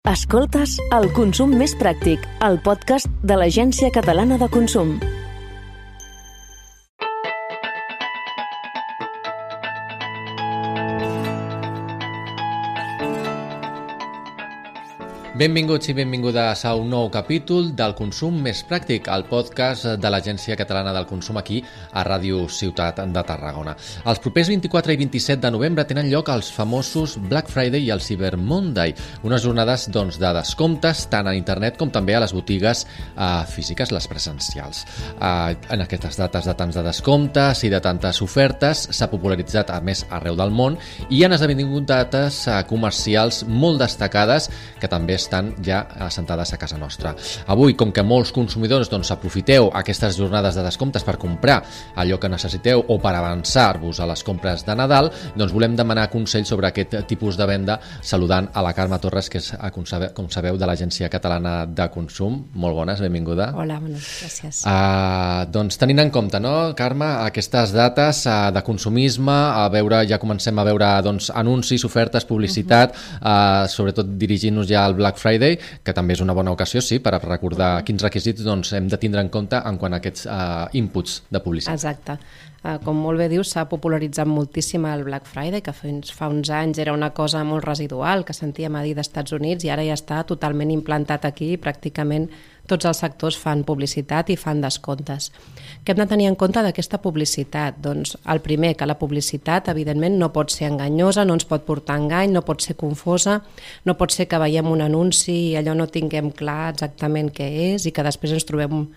Escoltes El Consum Més Pràctic, el podcast de l'Agència Catalana de Consum. Benvinguts i benvingudes a un nou capítol del Consum Més Pràctic, el podcast de l'Agència Catalana del Consum aquí a Ràdio Ciutat de Tarragona. Els propers 24 i 27 de novembre tenen lloc els famosos Black Friday i el Cyber Monday, unes jornades de descomptes tant a internet com també a les botigues físiques, les presencials. En aquestes dates de tants de descomptes i de tantes ofertes s'ha popularitzat a més arreu del món i han esdevingut dates comercials molt destacades que també estan ja assentades a casa nostra. Avui, com que molts consumidors aprofiteu aquestes jornades de descomptes per comprar allò que necessiteu o per avançar-vos a les compres de Nadal, volem demanar consell sobre aquest tipus de venda saludant a la Carme Torres, que és, com sabeu, de l'Agència Catalana de Consum. Molt bones, benvinguda. Hola, bones, gràcies. Tenint en compte, Carme, aquestes dates de consumisme, ja comencem a veure anuncis, ofertes, publicitat, sobretot dirigint-nos ja al Black Friday, que també és una bona ocasió, sí, per recordar quins requisits hem de tindre en compte en quant a aquests inputs de publicitat. Exacte. Com molt bé dius, s'ha popularitzat moltíssim el Black Friday, que fins fa uns anys era una cosa molt residual, que sentíem a dir d'Estats Units, i ara ja està totalment implantat aquí, i pràcticament tots els sectors fan publicitat i fan descomptes. Què hem de tenir en compte d'aquesta publicitat? Doncs el primer, que la publicitat evidentment no pot ser enganyosa, no ens pot portar a engany, no pot ser confosa, no pot ser que veiem un anunci i allò no tinguem clar exactament què és i que després ens trobem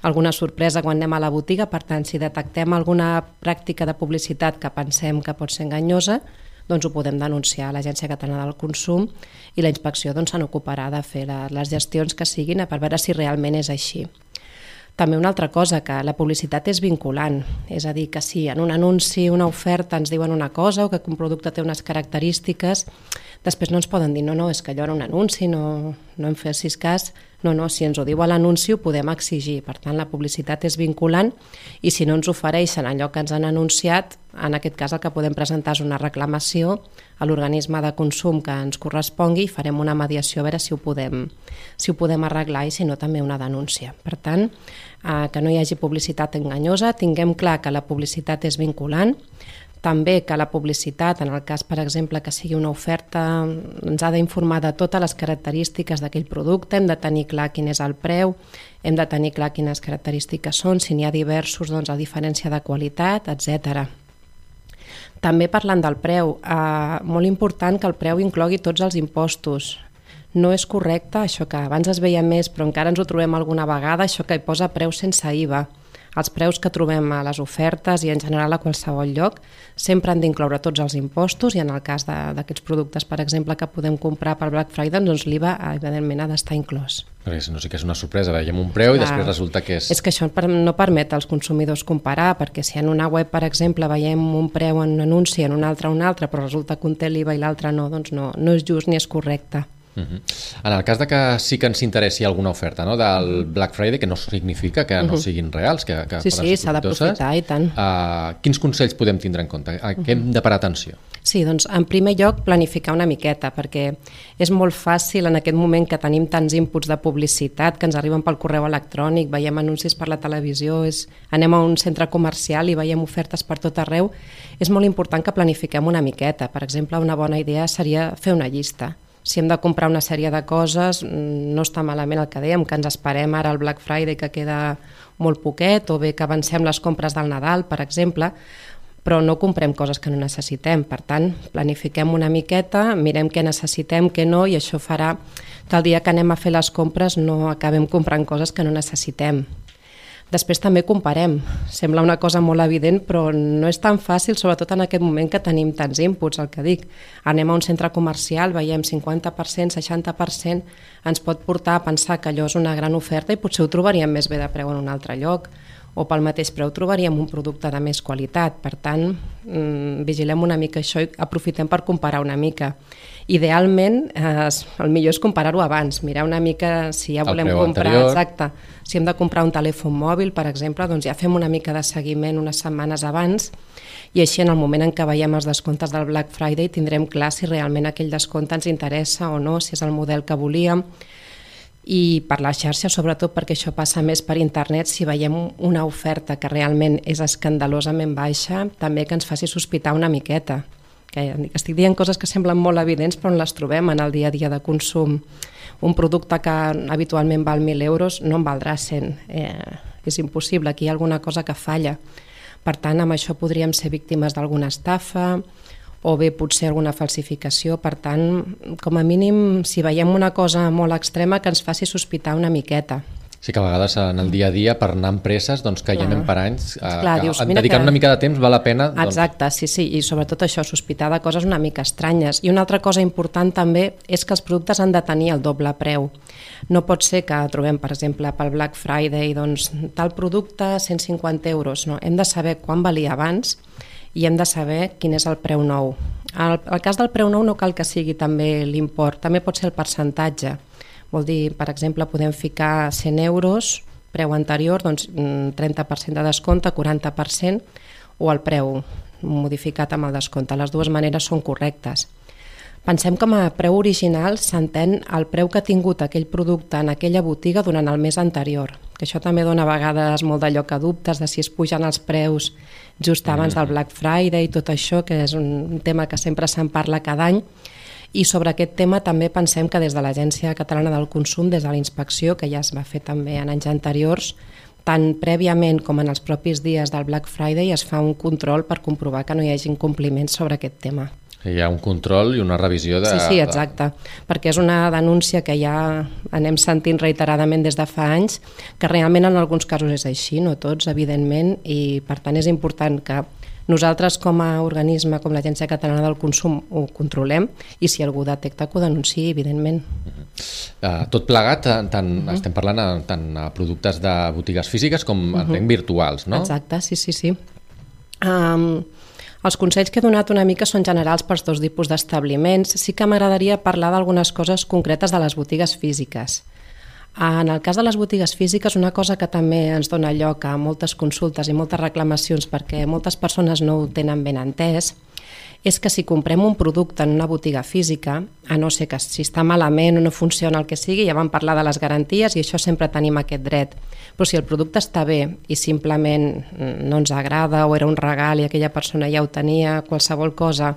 alguna sorpresa quan anem a la botiga. Per tant, si detectem alguna pràctica de publicitat que pensem que pot ser enganyosa, doncs ho podem denunciar a l'Agència Catalana del Consum i la inspecció se n'ocuparà de fer les gestions que siguin per veure si realment és així. També una altra cosa, que la publicitat és vinculant, és a dir, que si en un anunci, una oferta ens diuen una cosa o que un producte té unes característiques, després no ens poden dir no, és que allò era un anunci, no em fessis cas. No, si ens ho diu a l'anunci ho podem exigir. Per tant, la publicitat és vinculant i si no ens ofereixen allò que ens han anunciat, en aquest cas el que podem presentar és una reclamació a l'organisme de consum que ens correspongui i farem una mediació a veure si ho podem arreglar i si no també una denúncia. Per tant, que no hi hagi publicitat enganyosa, tinguem clar que la publicitat és vinculant, també que la publicitat, en el cas, per exemple, que sigui una oferta, ens ha d'informar de totes les característiques d'aquell producte, hem de tenir clar quin és el preu, hem de tenir clar quines característiques són, si n'hi ha diversos, la diferència de qualitat, etc. També parlant del preu, molt important que el preu inclogui tots els impostos. No és correcte, això que abans es veia més, però encara ens ho trobem alguna vegada, això que hi posa preu sense IVA. Els preus que trobem a les ofertes i en general a qualsevol lloc sempre han d'incloure tots els impostos i en el cas d'aquests productes, per exemple, que podem comprar per Black Friday, doncs l'IVA evidentment ha d'estar inclòs. Perquè si no sí que és una sorpresa, veiem un preu i després resulta que és... És que això no permet als consumidors comparar, perquè si en una web, per exemple, veiem un preu en un anunci, en un altre, però resulta que un té l'IVA i l'altre no, doncs no és just ni és correcte. En el cas de que sí que ens interessi alguna oferta del Black Friday, que no significa que no siguin reals, que sí, s'ha d'aprofitar i tant. Quins consells podem tindre en compte? A què hem de parar atenció? Sí, doncs en primer lloc planificar una miqueta, perquè és molt fàcil en aquest moment que tenim tants inputs de publicitat que ens arriben pel correu electrònic, veiem anuncis per la televisió, anem a un centre comercial i veiem ofertes per tot arreu. És molt important que planifiquem una miqueta. Per exemple, una bona idea seria fer una llista. Si hem de comprar una sèrie de coses, no està malament el que dèiem, que ens esperem ara al Black Friday, que queda molt poquet, o bé que avancem les compres del Nadal, per exemple, però no comprem coses que no necessitem. Per tant, planifiquem una miqueta, mirem què necessitem, què no, i això farà que el dia que anem a fer les compres no acabem comprant coses que no necessitem. Després també comparem. Sembla una cosa molt evident, però no és tan fàcil, sobretot en aquest moment que tenim tants inputs, el que dic. Anem a un centre comercial, veiem 50%, 60%, ens pot portar a pensar que allò és una gran oferta i potser ho trobaríem més bé de preu en un altre lloc, o pel mateix preu trobaríem un producte de més qualitat. Per tant, vigilem una mica això i aprofitem per comparar una mica. Idealment, el millor és comparar-ho abans, mirar una mica si ja volem comprar... Exacte. Si hem de comprar un telèfon mòbil, per exemple, doncs ja fem una mica de seguiment unes setmanes abans i així en el moment en què veiem els descomptes del Black Friday tindrem clar si realment aquell descompte ens interessa o no, si és el model que volíem. I per la xarxa, sobretot perquè això passa més per internet, si veiem una oferta que realment és escandalosament baixa, també que ens faci sospitar una miqueta. Que estic dient coses que semblen molt evidents però on les trobem en el dia a dia de consum. Un producte que habitualment val 1.000 euros no en valdrà 100. És impossible, aquí hi ha alguna cosa que falla. Per tant, amb això podríem ser víctimes d'alguna estafa o bé potser alguna falsificació. Per tant, com a mínim, si veiem una cosa molt extrema, que ens faci sospitar una miqueta. Sí que a vegades en el dia a dia, per anar a empreses, doncs, que hi anem per anys, dedicar una mica de temps val la pena. Exacte, sí, i sobretot això, sospitar de coses una mica estranyes. I una altra cosa important també és que els productes han de tenir el doble preu. No pot ser que trobem, per exemple, pel Black Friday, doncs, tal producte 150 euros. No? Hem de saber quan valia abans i hem de saber quin és el preu nou. El cas del preu nou no cal que sigui també l'import, també pot ser el percentatge. Vol dir, per exemple, podem ficar 100 euros, preu anterior, doncs 30% de descompte, 40%, o el preu modificat amb el descompte. Les dues maneres són correctes. Pensem que com a preu original s'entén el preu que ha tingut aquell producte en aquella botiga durant el mes anterior, que això també dona a vegades molt d'allò que dubtes de si es pugen els preus just abans del Black Friday i tot això, que és un tema que sempre se'n parla cada any. I sobre aquest tema també pensem que des de l'Agència Catalana del Consum, des de la inspecció, que ja es va fer també en anys anteriors, tant prèviament com en els propis dies del Black Friday es fa un control per comprovar que no hi hagi incompliments sobre aquest tema. Hi ha un control i una revisió de... Sí, exacte, perquè és una denúncia que ja anem sentint reiteradament des de fa anys, que realment en alguns casos és així, no tots, evidentment, i per tant és important que nosaltres com a organisme, com l'Agència Catalana del Consum, ho controlem i si algú detecta que ho denunciï, evidentment. Tot plegat, estem parlant tant a productes de botigues físiques com entenc virtuals, no? Exacte, sí. Els consells que he donat una mica són generals pels dos tipus d'establiments. Sí que m'agradaria parlar d'algunes coses concretes de les botigues físiques. En el cas de les botigues físiques, una cosa que també ens dona lloc a moltes consultes i moltes reclamacions perquè moltes persones no ho tenen ben entès, és que si comprem un producte en una botiga física, a no ser que si està malament o no funciona el que sigui, ja vam parlar de les garanties i això sempre tenim aquest dret. Però si el producte està bé i simplement no ens agrada o era un regal i aquella persona ja ho tenia, qualsevol cosa,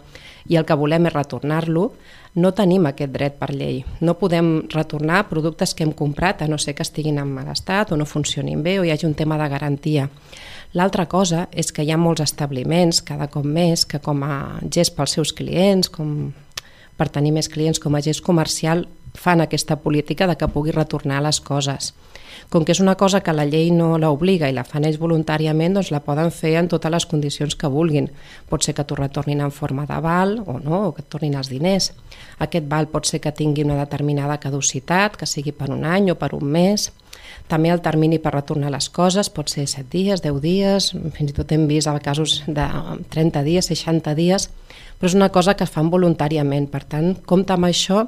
i el que volem és retornar-lo, no tenim aquest dret per llei. No podem retornar productes que hem comprat a no ser que estiguin en mal estat o no funcionin bé o hi hagi un tema de garantia. L'altra cosa és que hi ha molts establiments, cada cop més, que com a gest pels seus clients, com per tenir més clients com a gest comercial, fan aquesta política de que pugui retornar les coses. Com que és una cosa que la llei no l'obliga i la fan ells voluntàriament, doncs la poden fer en totes les condicions que vulguin. Pot ser que t'ho retornin en forma de val o no, o que et tornin els diners. Aquest val pot ser que tingui una determinada caducitat, que sigui per un any o per un mes. També el termini per retornar les coses pot ser 7 dies, 10 dies, fins i tot hem vist casos de 30 dies, 60 dies, però és una cosa que es fan voluntàriament. Per tant, compte amb això.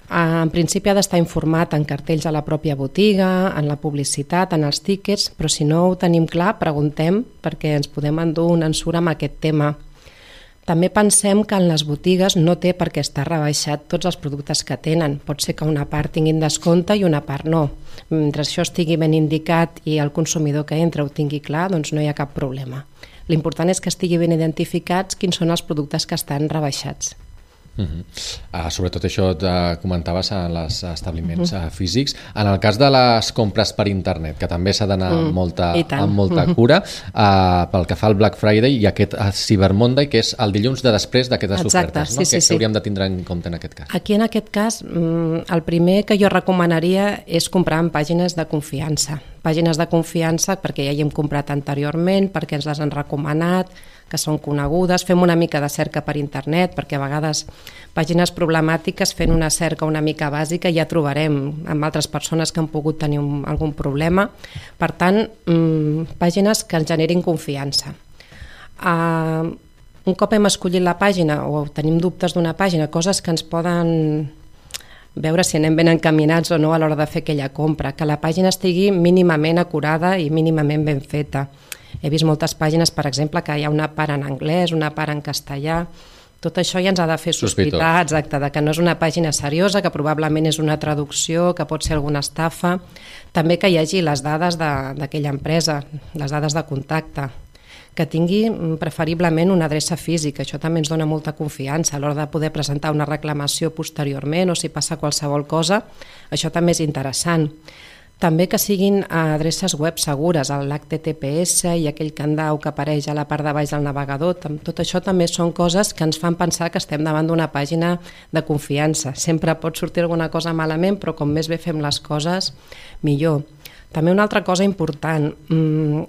En principi ha d'estar informat en cartells a la pròpia botiga, en la publicitat, en els tíquets, però si no ho tenim clar, preguntem perquè ens podem endur una ensura amb aquest tema. També pensem que en les botigues no té per què estar rebaixat tots els productes que tenen. Pot ser que una part tinguin descompte i una part no. Mentre això estigui ben indicat i el consumidor que entra ho tingui clar, doncs no hi ha cap problema. L'important és que estigui ben identificats quins són els productes que estan rebaixats. Sobretot això et comentaves en els establiments físics. En el cas de les compres per internet, que també s'ha d'anar amb molta cura, pel que fa al Black Friday i aquest Cyber Monday, que és el dilluns de després d'aquestes ofertes, no? Sí. Que hauríem de tindre en compte en aquest cas. Aquí en aquest cas, el primer que jo recomanaria és comprar en pàgines de confiança. Pàgines de confiança perquè ja hi hem comprat anteriorment, perquè ens les han recomanat, que són conegudes, fem una mica de cerca per internet, perquè a vegades pàgines problemàtiques fent una cerca una mica bàsica ja trobarem amb altres persones que han pogut tenir algun problema. Per tant, pàgines que ens generin confiança. Un cop hem escollit la pàgina o tenim dubtes d'una pàgina, coses que ens poden veure si anem ben encaminats o no a l'hora de fer aquella compra, que la pàgina estigui mínimament acurada i mínimament ben feta. He vist moltes pàgines, per exemple, que hi ha una part en anglès, una part en castellà. Tot això ja ens ha de fer sospitar, exacte, de que no és una pàgina seriosa, que probablement és una traducció, que pot ser alguna estafa. També que hi hagi les dades d'aquella empresa, les dades de contacte, que tingui preferiblement una adreça física. Això també ens dona molta confiança a l'hora de poder presentar una reclamació posteriorment o si passa qualsevol cosa. Això també és interessant. També que siguin adreces web segures, l'HTTPS i aquell candau que apareix a la part de baix del navegador. Tot això també són coses que ens fan pensar que estem davant d'una pàgina de confiança. Sempre pot sortir alguna cosa malament, però com més bé fem les coses, millor. També una altra cosa important,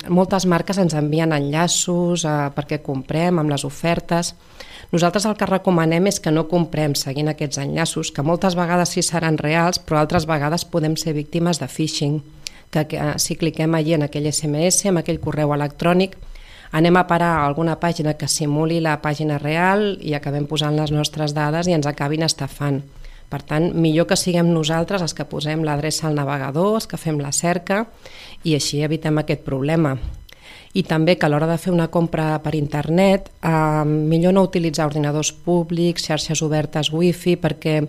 moltes marques ens envien enllaços perquè comprem amb les ofertes. Nosaltres el que recomanem és que no comprem seguint aquests enllaços, que moltes vegades sí seran reals, però altres vegades podem ser víctimes de phishing, que si cliquem allí en aquell SMS, en aquell correu electrònic, anem a parar a alguna pàgina que simuli la pàgina real i acabem posant les nostres dades i ens acabin estafant. Per tant, millor que siguem nosaltres els que posem l'adreça al navegador, els que fem la cerca i així evitem aquest problema. I també que a l'hora de fer una compra per internet, millor no utilitzar ordinadors públics, xarxes obertes wifi, perquè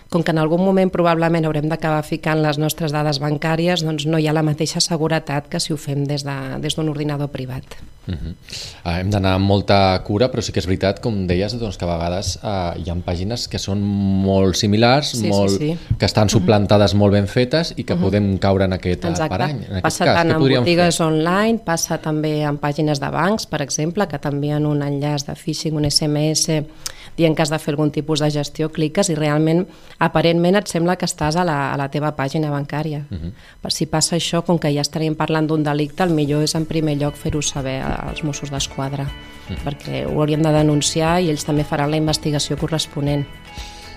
com que en algun moment probablement haurem d'acabar ficant les nostres dades bancàries, doncs no hi ha la mateixa seguretat que si ho fem des d'un ordinador privat. Hem d'anar amb molta cura, però sí que és veritat, com deies, doncs, que a vegades hi ha pàgines que són molt similars, que estan suplantades molt ben fetes i que podem caure en aquest parany. Passa tant en botigues online, passa també en pàgines de bancs, per exemple, que t'envien un enllaç de phishing, un SMS, dient que has de fer algun tipus de gestió, cliques i realment, aparentment, et sembla que estàs a la teva pàgina bancària. Si passa això, com que ja estaríem parlant d'un delicte, el millor és en primer lloc fer-ho saber als Mossos d'Esquadra, perquè ho hauríem de denunciar i ells també faran la investigació corresponent.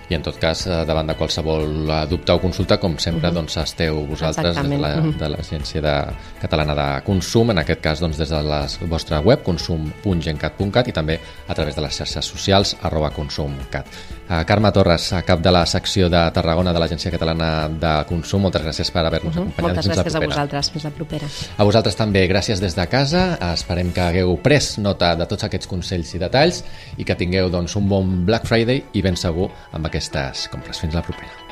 I en tot cas, davant de qualsevol dubte o consulta, com sempre, doncs esteu vosaltres de l'Agència Catalana de Consum, en aquest cas des de la vostra web, consum.gencat.cat, i també a través de les xarxes socials @consumcat. Carme Torres, cap de la secció de Tarragona de l'Agència Catalana de Consum, moltes gràcies per haver-nos acompanyat. Moltes gràcies a vosaltres, fins la propera. A vosaltres també, gràcies des de casa. Esperem que hagueu pres nota de tots aquests consells i detalls i que tingueu un bon Black Friday i ben segur amb aquestes compres. Fins la propera.